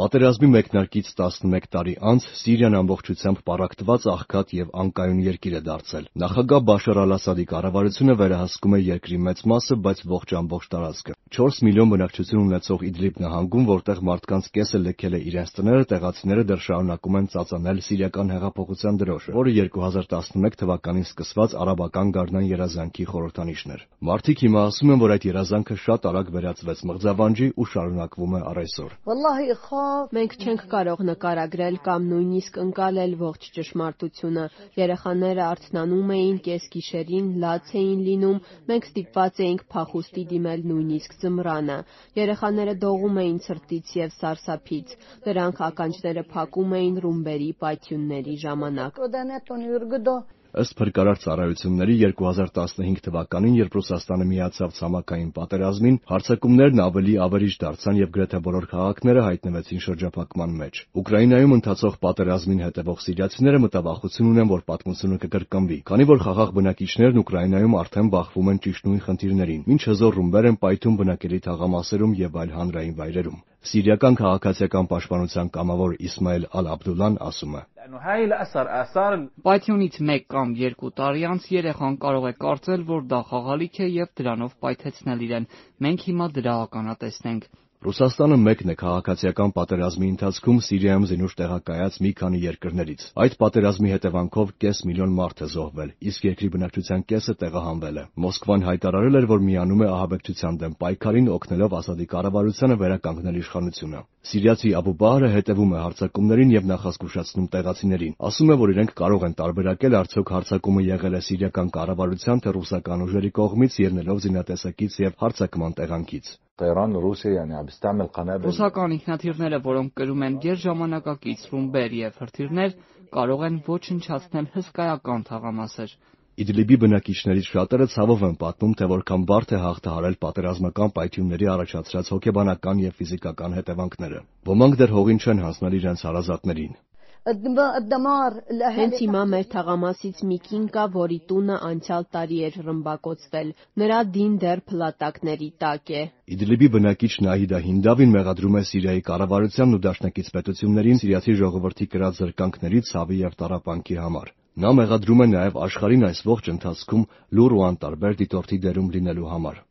Պատերազմի մեկնարկից 11 տարի անց Սիրիան ամբողջությամբ պառակտված աղքատ եւ անկայուն երկիր է դարձել։ Նախագահ Բաշար Ալ-Ասադի կառավարությունը վերահսկում է երկրի մեծ մասը, բայց ողջ տարածքը։ 4 միլիոն բնակչություն ունեցող Իդլիբ նահանգում, որտեղ մարդկանց կեսը լքել է իրենց տները, տեղացիները դեռ շարունակում են ծածանել սիրիական հեղափոխության դրոշը, որը 2011 թվականին սկսված արաբական գարնան երազանքի խորհրդանիշն էր։ Մարդիկ հիմա ասում են, որ այդ երազանքը շատ արագ վերածվեց մղձավանջի ու շարունակվում է առ այսօր։ Մենք չենք կարող նկարագրել կամ նույնիսկ ընկալել ողջ ճշմարտությունը։ Երեխաները արթնանում էին կեսգիշերին, լաց էին լինում, մենք ստիպված էինք փախուստի դիմել նույնիսկ ձմռանը։ Երեխաները դողում էին ցրտից եւ սարսափից։ Նրանք ականջները փակում էին ռումբերի պայթյունների ժամանակ։ Ըստ փրկարար ծառայությունների 2015 թվականին, երբ Ռուսաստանը միացավ ցամաքային պատերազմին, հարձակումներն ավելի ավերիչ դարձան եւ գրեթե բոլոր քաղաքները հայտնվեցին շրջափակման մեջ։ Ուկրաինայում ընթացող պատերազմին հետևող սիրիացիները մտավախություն ունեն, որ պատմությունը կկրկնվի, քանի որ խաղաղ բնակիչներն Ուկրաինայում արդեն բախվում են ճիշտ նույն խնդիրներին, ինչ հզոր ռումբեր են պայթում բնակելի թաղամասերում եւ այլ հանրային վայրերում։ Սիրիական քաղաքացիական պաշտպանության կամավոր Իսմայել Ալ-Աբդուլլան ասում է. Պայթյունից 1 կամ 2 տարի անց երեխան կարող է կարծել, որ դա խաղալիք է եւ դրանով պայթեցնել իրեն։ Մենք հիմա դրա ականատեսն ենք։ Ռուսաստանը մեկն է քաղաքացիական պատերազմի ընթացքում Սիրիայում զինուշ տեղակայած մի քանի երկրներից։ Այդ պատերազմի հետևանքով կես միլիոն մարդ է զոհվել, իսկ երկրի բնակչության կեսը տեղահանվել է։ Մոսկվան հայտարարել էր, որ միանում է ահաբեկչության դեմ պայքարին, օգնելով Ասադի կառավարությանը վերականգնել իշխանությունը։ Սիրիացի Աբու Բահրը հետևում է հարձակումներին եւ նախազգուշացնում տեղացիներին։ Ասում է, որ իրենք կարող են տարբերակել արդյոք հարձակումը եղել է սիրիական կառավարության թե ռուսական ուժերի կողմից, ելնելով զինատեսակից եւ հարձակման տեղանքից։ Ռուսական ինքնաթիռները, որոնք կրում են գերժամանակակից ռումբեր եւ հրթիռներ, կարող են ոչնչացնել հսկայական թաղամասեր։ Իդլիբի բնակիչներից շատերը ցավով են պատմում, թե որքան բարդ է հաղթահարել պատերազմական պայթյունների առաջացրած հոգեբանական եւ ֆիզիկական հետևանքները։ Ոմանք դեռ հողին չեն հանձնել իրենց հարազատներին։ Հենց հիմա մեր թաղամասից մի կին կա, որի տունը անցյալ տարի էր ռմբակոծվել։ Նրա դին դեռ փլատակների տակ է։ Իդլիբի բնակիչ Նահիդա Հինդավին մեղադրում է Սիրիայի կառավարությանն ու դաշնակից պետություններին սիրիացի ժողովրդի կրած զրկանքների, ցավի եւ տառապանքի համար։ Նա մեղադրում է նաև աշխարհին այս ողջ ընթացքում լուռ ու անտարբեր դիտորդի դերում լինելու համար։